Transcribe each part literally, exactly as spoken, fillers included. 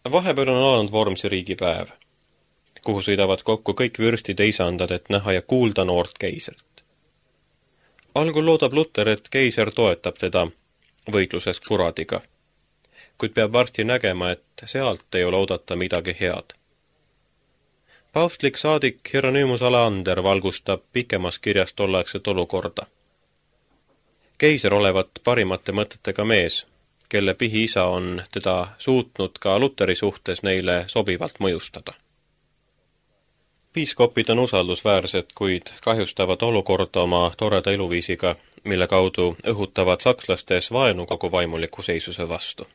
Vahepeal on alanud Vormsi riigipäev, kuhu sõidavad kokku kõik vürstide isandad, et näha ja kuulda noort keisrit. Algul loodab Luter, et keiser toetab teda võitluses kuradiga, kuid peab varsti nägema, et sealt ei ole oodata midagi head. Paavstlik saadik Hieronymus Aleander valgustab pikemas kirjas tolleaegset olukorda. Keiser olevat parimate mõtetega mees, kelle pihiisa on teda suutnud ka Luteri suhtes neile sobivalt mõjustada. Piiskopid on usaldusväärsed, kuid kahjustavad olukorda oma toreda eluviisiga, mille kaudu õhutavad sakslastes vaenu kogu vaimuliku seisuse vastu.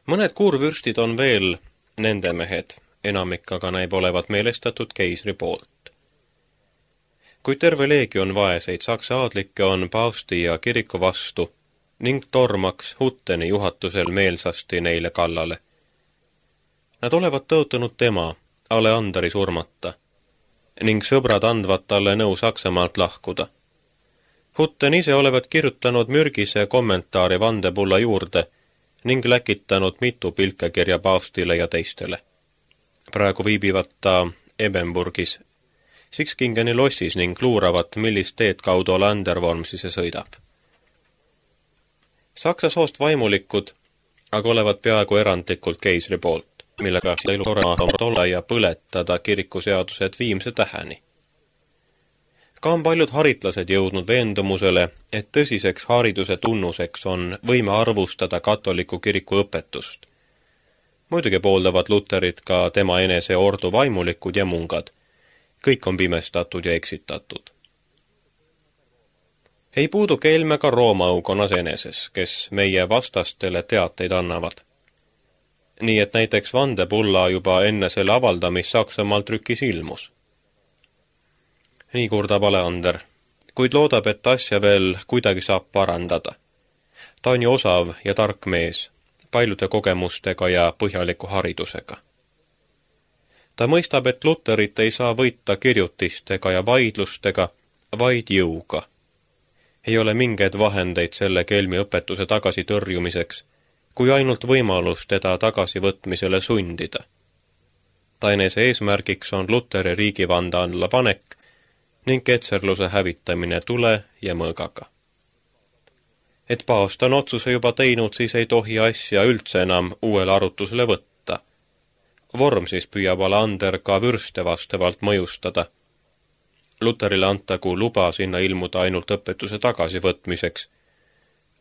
Mõned kuurvürstid on veel nende mehed, enamik aga näib olevat meelestatud keisri poolt. Kuid terve leegion vaeseid saksa aadlikke on paavsti ja kiriku vastu ning tormaks Hutteni juhatusel meelsasti neile kallale. Nad olevat tõotanud tema, Aleanderi surmata, ning sõbrad andvad talle nõu Saksamaalt lahkuda. Hutten ise olevat kirjutanud mürgise kommentaari vandepulla juurde ning läkitanud mitu pilkekirja paavstile ja teistele. Praegu viibivad ta Ebenburgis, Sixkingeni lossis ning luuravat, millist teed kaudu Aleander Vormsisse sõidab. Saksa soost vaimulikud aga olevat peaaegu erandlikult keisri poolt, millega elu olla ja põletada kirikuseadused viimse täheni. Ka on paljud haritlased jõudnud veendumusele, et tõsiseks hariduse tunnuseks on võime arvustada katoliku kiriku õpetust. Muidugi pooldavad Luterit ka tema enese ordu vaimulikud ja mungad. Kõik on pimestatud ja eksitatud. Ei puudu kelme ka Rooma aukonnas eneses, kes meie vastastele teateid annavad. Nii et näiteks vandepulla juba enne selle avaldamist Saksamaal trükis ilmus. Nii kurdab Aleander, kuid loodab, et asja veel kuidagi saab parandada. Ta on ju osav ja tark mees, paljude kogemustega ja põhjaliku haridusega. Ta mõistab, et Luterit ei saa võita kirjutistega ja vaidlustega, vaid jõuga. Ei ole mingeid vahendeid selle kelmi õpetuse tagasi tõrjumiseks, kui ainult võimalus teda tagasivõtmisele sundida. Ta enese eesmärgiks on Luteri riigivande alla panek ning ketserluse hävitamine tule ja mõõgaga. Et paavst on otsuse juba teinud, siis ei tohi asja üldse enam uuele arutusele võtta. Vormsis püüab Aleander ka vürste vastavalt mõjustada. Luterile antagu luba sinna ilmuda ainult õpetuse tagasivõtmiseks,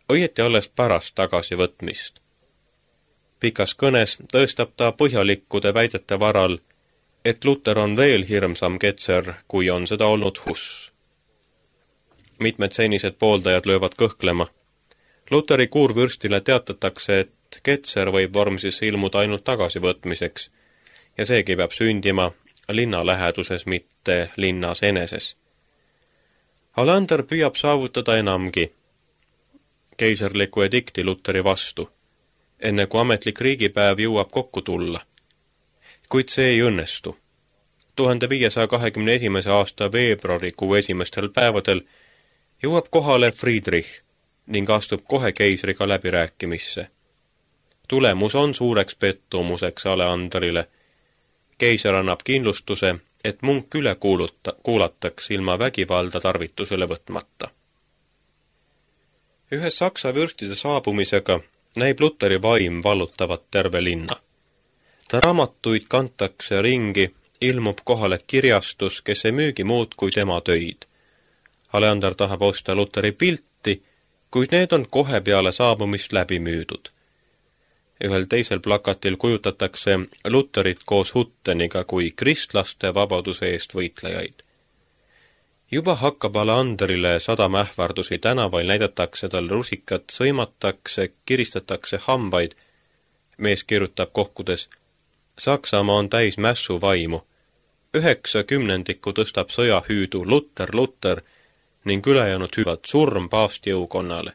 õieti alles pärast tagasivõtmist. Pikas kõnes tõestab ta põhjalikkude väidete varal, et Luter on veel hirmsam ketser, kui on seda olnud Huss. Mitmed senised pooldajad löövad kõhklema. Luteri kuurvürstile teatatakse, et ketser võib Vormsisse ilmuda ainult tagasivõtmiseks ja seegi peab sündima linna läheduses, mitte linnas eneses. Aleander püüab saavutada enamgi keiserliku edikti Luteri vastu, enne kui ametlik riigipäev jõuab kokku tulla. Kuid see ei õnnestu. tuhande viiesaja kahekümne esimese aasta veebruarikuu esimestel päevadel jõuab kohale Friedrich ning astub kohe keisriga läbirääkimisse. Tulemus on suureks pettumuseks Aleanderile. Keiser annab kindlustuse, et munk üle kuuluta, kuulataks ilma vägivalda tarvitusele võtmata. Ühes saksa vürstide saabumisega näib Luteri vaim vallutavat terve linna. Ta raamatuid kantakse ringi, ilmub kohale kirjastus, kes ei müügi muud kui tema töid. Aleander tahab osta Luteri pilti, kuid need on kohe peale saabumist läbi müüdud. Ühel teisel plakatil kujutatakse Luterit koos Hutteniga kui kristlaste vabaduse eest võitlejaid. Juba hakkab Aleanderile sadama ähvardusi, tänaval näidatakse tal rusikat, sõimatakse, kiristatakse hambaid. Mees kirjutab kohkudes, Saksamaa on täis mässu vaimu. Üheksa kümnendikku tõstab sõjahüüdu Luter, Luter ning ülejäänud hüüvad surm paavsti jõukonnale.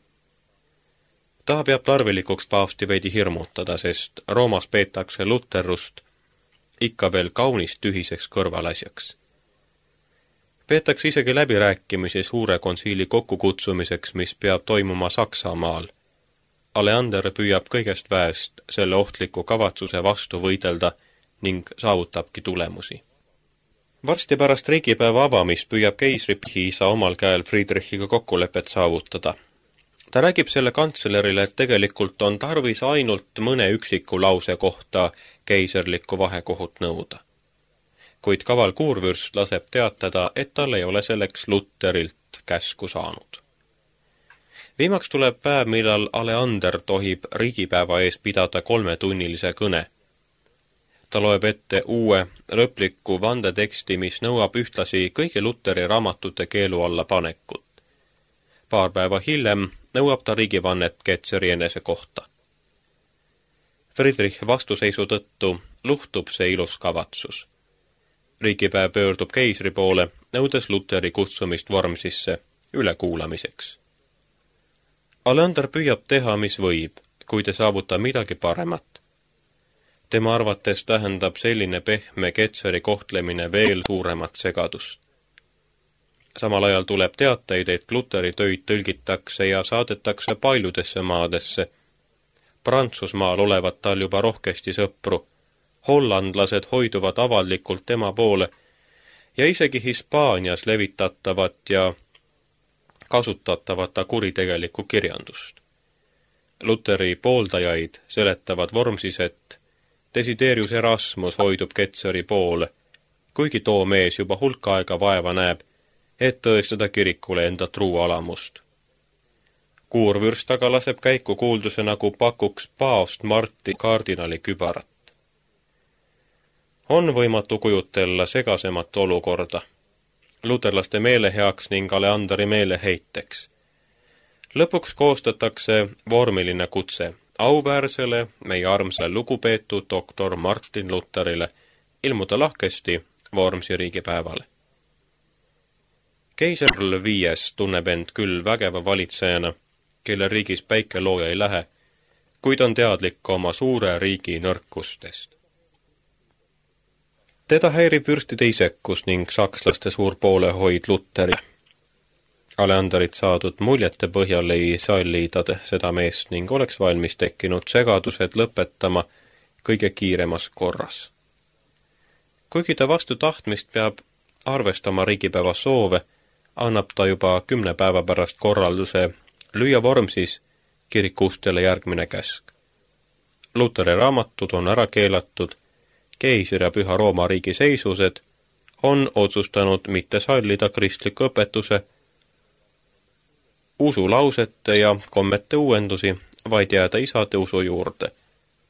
Ta peab tarvilikuks paavsti veidi hirmutada, sest Roomas peetakse luterrust ikka veel kaunis tühiseks kõrvalasjaks. Peetakse isegi läbirääkimisi suure konsiili kokkukutsumiseks, mis peab toimuma Saksamaal. Aleander püüab kõigest väest selle ohtliku kavatsuse vastu võidelda ning saavutabki tulemusi. Varsti pärast riigipäeva avamist püüab keisri Pihisa omal käel Friedrichiga kokkulepet saavutada. Ta räägib selle kantslerile, et tegelikult on tarvis ainult mõne üksiku lause kohta keiserlikku vahekohut nõuda. Kuid kaval kuurvürst laseb teatada, et tal ei ole selleks Luterilt käsku saanud. Viimaks tuleb päev, millal Aleander tohib riigipäeva ees pidada kolmetunnilise kõne. Ta loeb ette uue lõpliku vandeteksti, mis nõuab ühtlasi kõigi Luteri raamatute keelu alla panekut. Paar päeva hiljem nõuab ta riigivannet Ketzeri enese kohta. Friedrich vastuseisu tõttu luhtub see ilus kavatsus. Riigipäev pöördub keisri poole, nõudes Luteri kutsumist Wormsisse ülekuulamiseks. Aleander püüab teha, mis võib, kuid ei saavuta midagi paremat. Tema arvates tähendab selline pehme Ketzeri kohtlemine veel suuremat segadust. Samal ajal tuleb teateid, et Luteri töid tõlgitakse ja saadetakse paljudesse maadesse. Prantsusmaal olevat tal juba rohkesti sõpru, hollandlased hoiduvad avalikult tema poole ja isegi Hispaanias levitatavat ja kasutatavat ta kuritegelikku kirjandust. Luteri pooldajaid seletavad Wormsis, et Desiderius Erasmus hoidub Ketzeri poole, kuigi too mees juba hulka aega vaeva näeb, et tõestada kirikule enda truu alamust. Kuurvürst aga laseb käiku kuulduse, nagu pakuks paavst Marti kardinali kübarat. On võimatu kujutella segasemat olukorda, luterlaste meeleheaks ning Aleanderi meeleheiteks. Lõpuks koostatakse vormiline kutse auväärsele, meie armsale lugupeetud doktor Martin Luterile ilmuda lahkesti Wormsi riigipäevale. Keiser viies tunneb end küll vägeva valitsejana, kelle riigis päike looja ei lähe, kuid on teadlik oma suure riigi nõrkustest. Teda häirib vürstide isekus ning sakslaste suur poolehoid Luteri. Aleanderit saadud muljete põhjal ei salli ta seda meest ning oleks valmis tekkinud segadused lõpetama kõige kiiremas korras. Kuigi ta vastu tahtmist peab arvestama riigipäeva soove, annab ta juba kümne päeva pärast korralduse lüüa Wormsis kirikustele järgmine käsk. Luteri raamatud on ära keelatud, keisri ja Püha Rooma riigi seisused on otsustanud mitte sallida kristliku õpetuse, usulausete ja kommete uuendusi, vaid jääda isade usu juurde.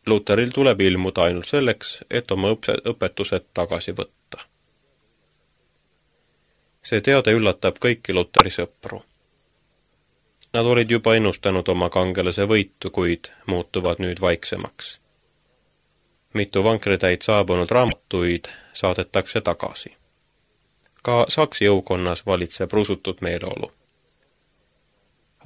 Luteril tuleb ilmuda ainult selleks, et oma õpetused tagasi võtta. See teade üllatab kõiki Luteri sõpru. Nad olid juba ennustanud oma kangelase võitu, kuid muutuvad nüüd vaiksemaks. Mitu vankritäit saabunud raamatuid saadetakse tagasi. Ka Saksi jõukonnas valitseb rusutud meeleolu.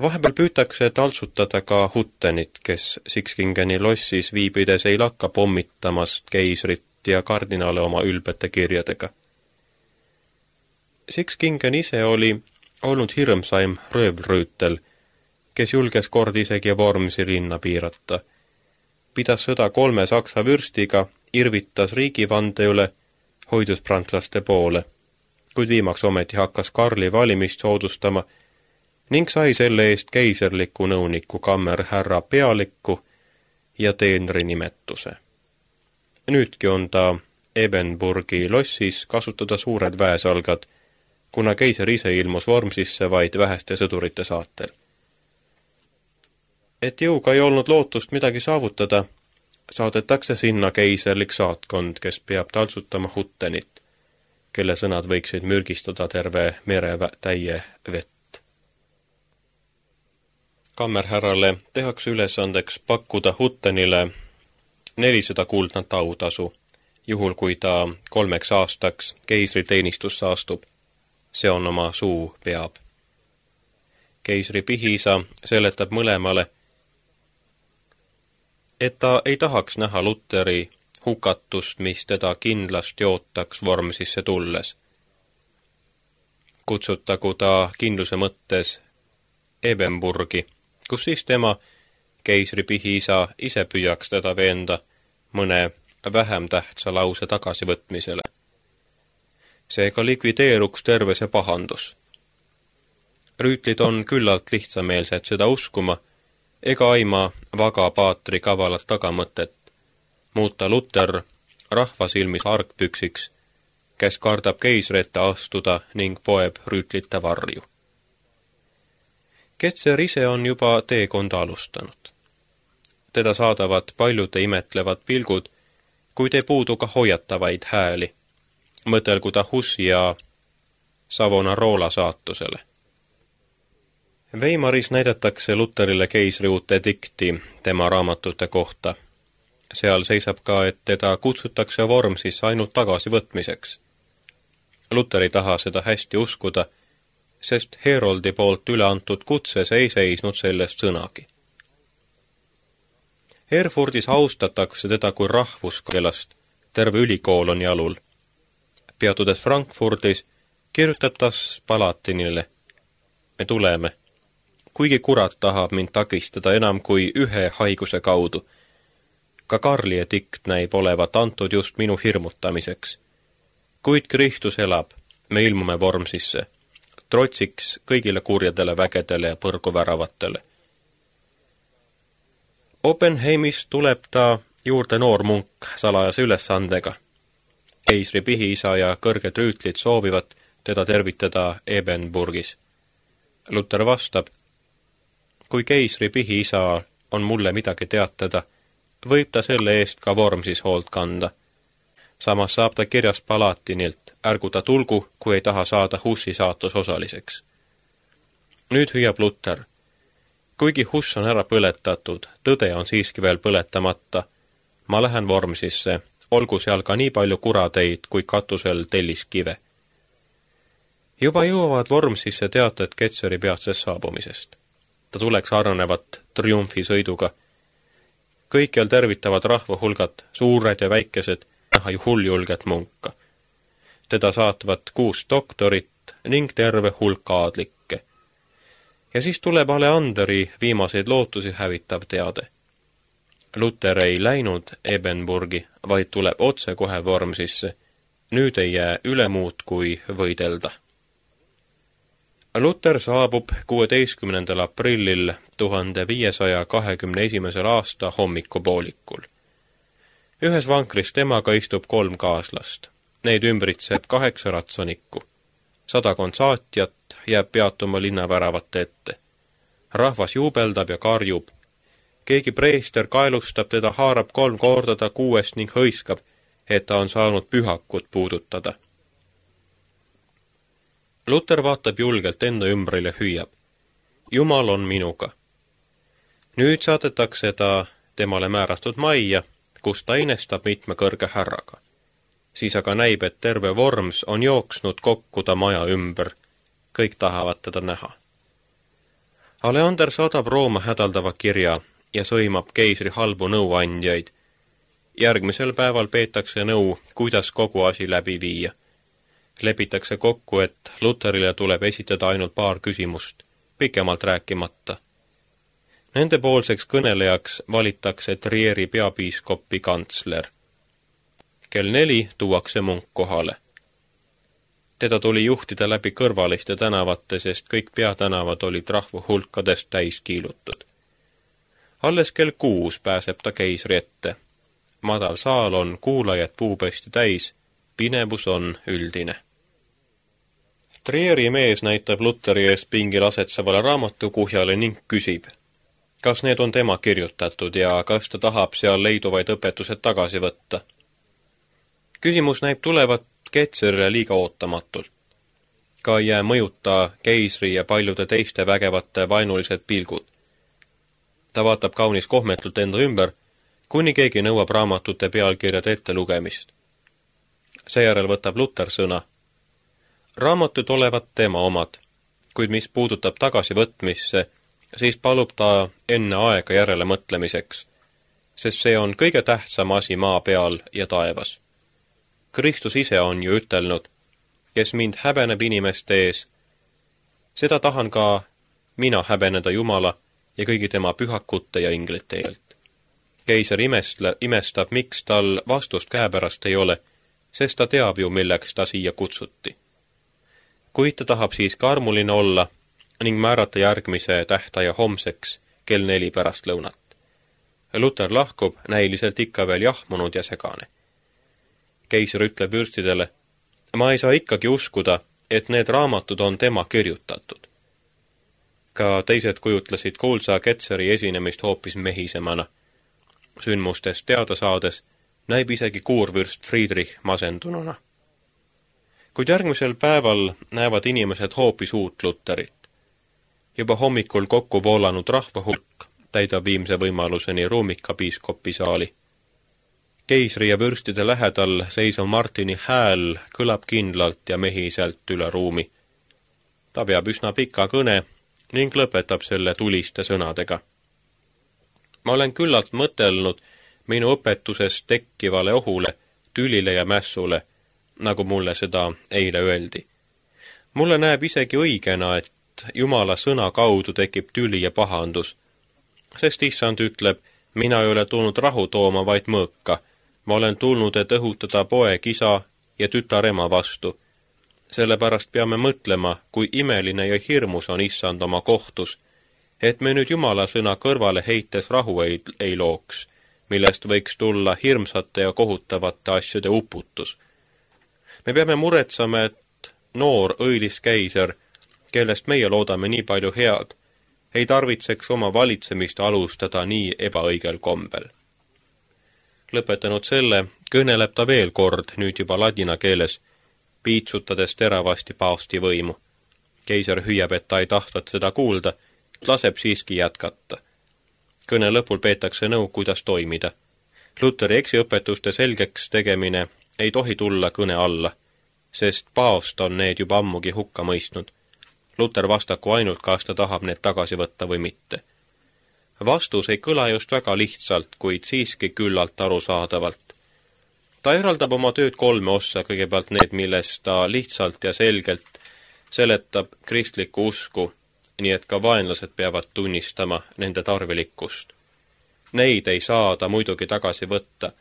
Vahepeal püütakse taltsutada ka Huttenit, kes Sixkingeni lossis viibides ei lakka pommitamast keisrit ja kardinale oma ülbete kirjadega. Sixkingen ise oli olnud hirmsaim röövrüütel, kes julges kord isegi Wormsi linna piirata. Pidas sõda kolme saksa vürstiga, irvitas riigivande üle, hoidus prantslaste poole, kuid viimaks ometi hakkas Karli valimist soodustama ning sai selle eest keiserliku nõuniku kammerhärra pealikku ja teenri nimetuse. Nüüdki on ta Ebenburgi lossis kasutada suured väesalgad, kuna keiser ise ilmus Wormsisse vaid väheste sõdurite saatel. Et jõuga ei olnud lootust midagi saavutada, saadetakse sinna keiserlik saatkond, kes peab taltsutama Huttenit, kelle sõnad võiksid mürgistada terve mere täie vett. Kammerhärrale tehakse ülesandeks pakkuda Huttenile nelisada kuldnat autasu, juhul kui ta kolmeks aastaks keisri teenistusse astub. See on oma suu peab. Keisri Pihisa seletab mõlemale, et ta ei tahaks näha Luteri hukatust, mis teda kindlasti ootaks Wormsisse tulles. Kutsutagu ta kindluse mõttes Ebenburgi, kus siis tema keisri pihiisa ise püüaks teda veenda mõne vähem tähtsa lause tagasivõtmisele. Seega likvideeruks terve see pahandus. Rüütlid on küllalt lihtsameelsed seda uskuma, ega aima vaga paatri kavalat tagamõtet, muuta Luter rahva silmis argpüksiks, kes kardab keisri ette astuda ning poeb rüütlite varju. Ketser ise on juba teekonda alustanud. Teda saadavad paljude imetlevad pilgud, kuid ei puudu ka hoiatavaid hääli. Mõtelgu ta Hussi ja Savonarola saatusele. Weimaris näidatakse Luterile keisri uut edikti tema raamatute kohta. Seal seisab ka, et teda kutsutakse Wormsisse ainult tagasivõtmiseks. Luter ei taha seda hästi uskuda, sest Heroldi poolt üle antud kutses ei seisnud sellest sõnagi. Erfurdis austatakse teda kui rahvuskeelast, terve ülikool on jalul. Peatudes Frankfurdis kirjutab ta Palatinile: me tuleme, kuigi kurat tahab mind takistada enam kui ühe haiguse kaudu. Ka Karli edikt näib olevat antud just minu hirmutamiseks. Kuid Kristus elab, me ilmume Wormsisse, trotsiks kõigile kurjadele vägedele ja põrguväravatele. Oppenheimis tuleb ta juurde noor munk salajase ülesandega. Keisri pihiisa ja kõrged rüütlid soovivad teda tervitada Ebenburgis. Luter vastab: kui keisri pihiisa on mulle midagi teatada, võib ta selle eest ka Wormsis hoolt kanda. Samas saab ta kirjas Palatinilt: ärgu ta tulgu, kui ei taha saada Hussi saatus osaliseks. Nüüd hüüab Luter: kuigi Huss on ära põletatud, tõde on siiski veel põletamata. Ma lähen Wormsisse, olgu seal ka nii palju kurateid kui katusel telliskive. Juba jõuavad Wormsisse teated Ketseri peatsest saabumisest. Ta tuleks arvanevat triumfisõiduga. Kõikjal tervitavad rahvahulgad, suured ja väikesed, näha ju hulljulget munka. Teda saatvad kuus doktorit ning terve hulk aadlikke. Ja siis tuleb Aleanderi viimaseid lootusi hävitav teade. Luter ei läinud Ebenburgi, vaid tuleb otse kohe Wormsisse. Nüüd ei jää üle muud kui võidelda. Luter saabub kuueteistkümnendal aprillil tuhande viiesaja kahekümne esimesel aasta hommikupoolikul. Ühes vankris temaga istub kolm kaaslast. Neid ümbritseb kaheksa ratsanikku. Sadakond saatjat jääb peatuma linnaväravate ette. Rahvas juubeldab ja karjub. Keegi preester kaelustab teda, haarab kolm korda ta kuuest ning hõiskab, et ta on saanud pühakut puudutada. Luter vaatab julgelt enda ümbril ja hüüab: Jumal on minuga. Nüüd saadetakse ta temale määratud majja, kus ta inestab mitme kõrge härraga. Siis aga näib, et terve Worms on jooksnud kokku ta maja ümber. Kõik tahavad teda näha. Aleander saadab Rooma hädaldava kirja ja sõimab keisri halbu nõuandjaid. Järgmisel päeval peetakse nõu, kuidas kogu asi läbi viia. Lepitakse kokku, et Luterile tuleb esitada ainult paar küsimust, pikemalt rääkimata. Nendepoolseks kõnelejaks valitakse Trieri peapiiskopi kantsler. Kell neli tuuakse munk kohale. Teda tuli juhtida läbi kõrvaliste tänavate, sest kõik peatänavad olid rahvahulkadest täis kiilutud. Alles kell kuus pääseb ta keisri ette. Madal saal on kuulajad puupesti täis, pinevus on üldine. Trieri mees näitab Luteri eest pingil asetsevale raamatukuhjale ning küsib, kas need on tema kirjutatud ja kas ta tahab seal leiduvaid õpetused tagasi võtta. Küsimus näib tulevat Ketserile liiga ootamatult. Ka ei jää mõjuta keisri ja paljude teiste vägevate vaenulised pilgud. Ta vaatab kaunis kohmetult enda ümber, kuni keegi nõuab raamatute pealkirjade ette lugemist. Seejärel võtab Luter sõna. Raamatud olevat tema omad, kuid mis puudutab tagasivõtmisse, siis palub ta enne aega järele mõtlemiseks, sest see on kõige tähtsam asi maa peal ja taevas. Kristus ise on ju ütelnud, kes mind häbeneb inimeste ees, seda tahan ka mina häbeneda Jumala ja kõigi tema pühakute ja inglite keelt. Keiser imestle, imestab, miks tal vastust käepärast ei ole, sest ta teab ju, milleks ta siia kutsuti. Kuid ta tahab siiski armuline olla ning määrata järgmise tähtaja homseks kell neli pärast lõunat. Luther lahkub näiliselt ikka veel jahmunud ja segane. Keiser ütleb vürstidele, ma ei saa ikkagi uskuda, et need raamatud on tema kirjutatud. Ka teised kujutlesid kuulsa Ketzeri esinemist hoopis mehisemana. Sündmustest teada saades näib isegi kuurvürst Friedrich masendununa. Kuid järgmisel päeval näevad inimesed hoopis uut Lutherit. Juba hommikul kokku voolanud rahvahulk täidab viimse võimaluseni ruumika piiskopi saali. Keisri ja vürstide lähedal seisav Martini hääl kõlab kindlalt ja mehiselt üle ruumi. Ta peab üsna pika kõne ning lõpetab selle tuliste sõnadega. Ma olen küllalt mõtelnud minu õpetusest tekkivale ohule, tülile ja mässule, nagu mulle seda eile öeldi. Mulle näeb isegi õigena, et Jumala sõna kaudu tekib tüli ja pahandus, sest issand ütleb, mina ei ole tulnud rahu tooma, vaid mõõka. Ma olen tulnud, et õhutada poeg isa ja tütar ema vastu. Sellepärast peame mõtlema, kui imeline ja hirmus on issand oma kohtus, et me nüüd Jumala sõna kõrvale heites rahu ei, ei looks, millest võiks tulla hirmsate ja kohutavate asjade uputus. Me peame muretsema, et noor õilis keiser, kellest meie loodame nii palju head, ei tarvitseks oma valitsemist alustada nii ebaõigel kombel. Lõpetanud selle, kõneleb ta veel kord, nüüd juba ladina keeles, piitsutades teravasti paavsti võimu. Keiser hüüab, et ta ei tahtvat seda kuulda, laseb siiski jätkata. Kõne lõpul peetakse nõu, kuidas toimida. Lutheri eksiõpetuste selgeks tegemine ei tohi tulla kõne alla, sest paavst on need juba ammugi hukka mõistnud. Luther vastaku ainult, kas ta tahab need tagasi võtta või mitte. Vastus ei kõla just väga lihtsalt, kuid siiski küllalt arusaadavalt. Ta eraldab oma tööd kolme ossa, kõigepealt need, milles ta lihtsalt ja selgelt seletab kristlikku usku, nii et ka vaenlased peavad tunnistama nende tarvilikkust. Neid ei saa ta muidugi tagasi võtta.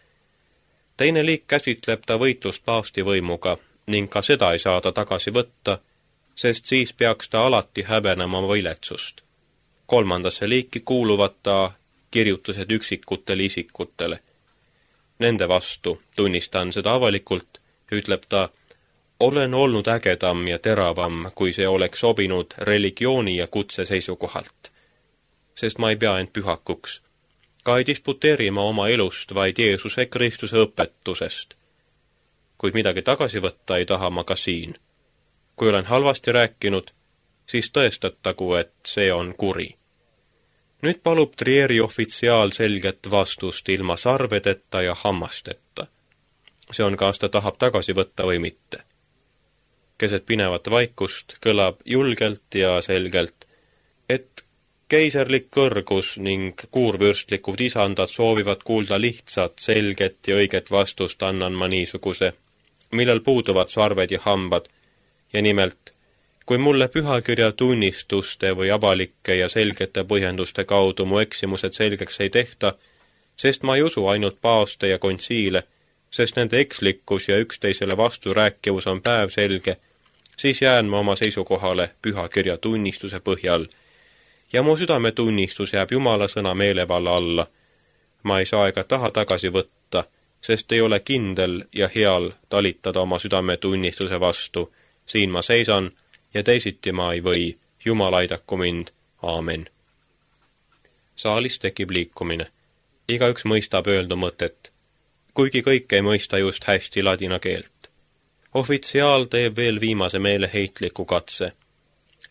Teine liik käsitleb ta võitlust paavsti võimuga ning ka seda ei saa ta tagasi võtta, sest siis peaks ta alati häbenema oma viletsust. Kolmandasse liiki kuuluvad ta kirjutused üksikutele isikutele. Nende vastu, tunnistan seda avalikult, ütleb ta, olen olnud ägedam ja teravam, kui see oleks sobinud religiooni ja kutse seisukohalt. Sest ma ei pea end pühakuks. Ka ei disputeeri ma oma elust, vaid Jeesuse Kristuse õpetusest. Kuid midagi tagasi võtta ei taha ma ka siin. Kui olen halvasti rääkinud, siis tõestatagu, et see on kuri. Nüüd palub Trieri ofitsiaal selget vastust ilma sarvedeta ja hammasteta. See on, kas ta tahab tagasi võtta või mitte. Keset pinevat vaikust kõlab julgelt ja selgelt, et keiserlik kõrgus ning kuurvürstlikud isandad soovivad kuulda lihtsat, selget ja õiget vastust, annan ma niisuguse, millel puuduvad sarved ja hambad, ja nimelt, kui mulle pühakirja tunnistuste või avalike ja selgete põhjenduste kaudu mu eksimused selgeks ei tehta, sest ma ei usu ainult paavste ja kontsiile, sest nende ekslikkus ja üksteisele vastu rääkivus on päevselge, siis jään ma oma seisukohale pühakirja tunnistuse põhjal, ja mu südametunnistus jääb Jumala sõna meelevalla alla. Ma ei saa ega taha tagasi võtta, sest ei ole kindel ja heal talitada oma südametunnistuse vastu. Siin ma seisan ja teisiti ma ei või. Jumal aidaku mind. Aamen. Saalis tekib liikumine. Igaüks mõistab öeldu mõtet, kuigi kõik ei mõista just hästi ladina keelt. Ofitsiaal teeb veel viimase meeleheitliku katse.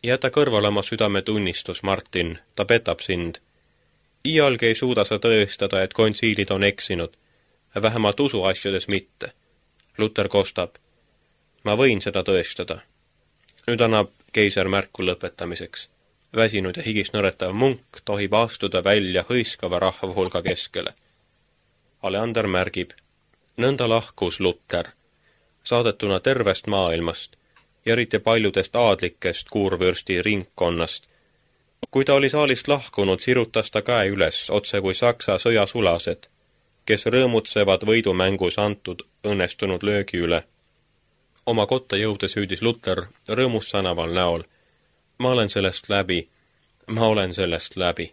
Jäta kõrvale oma südametunnistus, Martin, ta petab sind. Iialgi ei suuda sa tõestada, et kontsiilid on eksinud, vähemalt usuasjades mitte. Luther kostab. Ma võin seda tõestada. Nüüd annab keiser märku lõpetamiseks. Väsinud ja higis nõretav munk tohib astuda välja hõiskava rahvahulga keskele. Aleander märgib. Nõnda lahkus Luther, saadetuna tervest maailmast, ja eriti paljudest aadlikest kuurvürsti ringkonnast, kui ta oli saalist lahkunud, sirutas ta käe üles, otse kui Saksa sõjasulased, kes rõõmutsevad võidumängus antud õnnestunud löögi üle. Oma kotta jõudes hüüdis Luter rõõmus sänaval näol. Ma olen sellest läbi, ma olen sellest läbi.